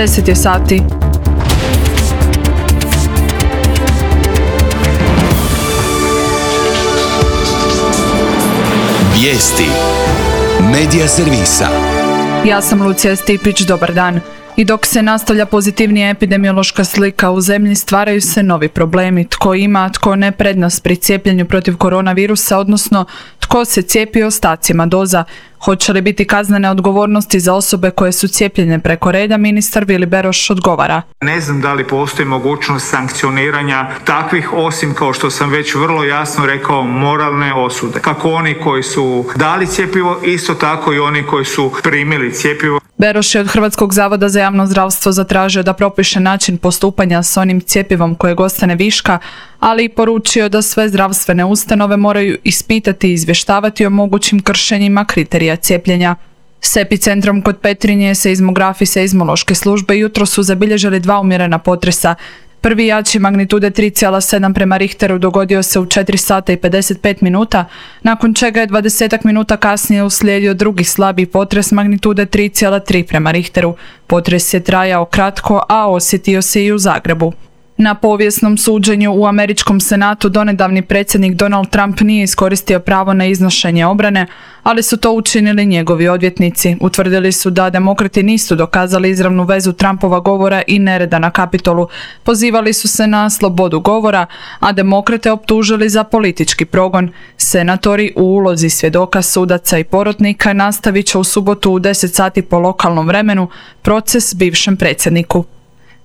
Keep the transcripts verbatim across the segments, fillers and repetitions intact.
deset je sati. Vijesti Medija servisa. Ja sam Lucija Stipić, dobar dan. I dok se nastavlja pozitivnija epidemiološka slika u zemlji, stvaraju se novi problemi. Tko ima, tko ne prednost pri cijepljenju protiv koronavirusa, odnosno tko se cijepi ostacima doza. Hoće li biti kaznene odgovornosti za osobe koje su cijepljene preko reda, ministar Vili Beroš odgovara. Ne znam da li postoji mogućnost sankcioniranja takvih, osim kao što sam već vrlo jasno rekao, moralne osude. Kako oni koji su dali cjepivo, isto tako i oni koji su primili cjepivo. Beroš je od Hrvatskog zavoda za javno zdravstvo zatražio da propiše način postupanja s onim cjepivom kojeg ostane viška, ali i poručio da sve zdravstvene ustanove moraju ispitati i izvještavati o mogućim kršenjima kriterija cijepljenja. S epicentrom kod Petrinje seizmografi seizmološke službe jutro su zabilježili dva umjerena potresa. Prvi jači magnitude tri zarez sedam prema Richteru dogodio se u četiri sata i pedeset pet minuta, nakon čega je dvadesetak minuta kasnije uslijedio drugi slabi potres magnitude tri zarez tri prema Richteru. Potres je trajao kratko, a osjetio se i u Zagrebu. Na povijesnom suđenju u američkom senatu donedavni predsjednik Donald Trump nije iskoristio pravo na iznošenje obrane, ali su to učinili njegovi odvjetnici. Utvrdili su da demokrati nisu dokazali izravnu vezu Trumpova govora i nereda na Kapitolu. Pozivali su se na slobodu govora, a demokrate optužili za politički progon. Senatori u ulozi svjedoka, sudaca i porotnika nastavit će u subotu u deset sati po lokalnom vremenu proces bivšem predsjedniku.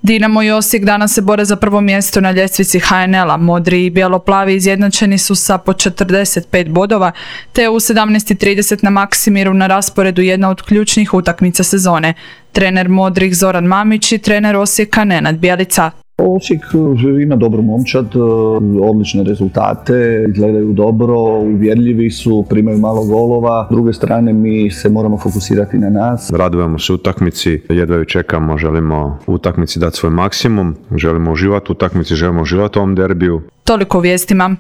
Dinamo i Osijek danas se bore za prvo mjesto na ljestvici ha en el a. Modri i bijelo-plavi izjednačeni su sa po četrdeset pet bodova, te u sedamnaest i trideset na Maksimiru na rasporedu jedna od ključnih utakmica sezone. Trener modrih Zoran Mamić i trener Osijeka Nenad Bjelica. Osijek ima dobru momčad, odlične rezultate, izgledaju dobro, uvjerljivi su, primaju malo golova. S druge strane, mi se moramo fokusirati na nas. Radujemo se utakmici, jedva ju čekamo, želimo u utakmici dati svoj maksimum, želimo uživati u utakmici, želimo uživati u ovom derbiju. Toliko u vijestima.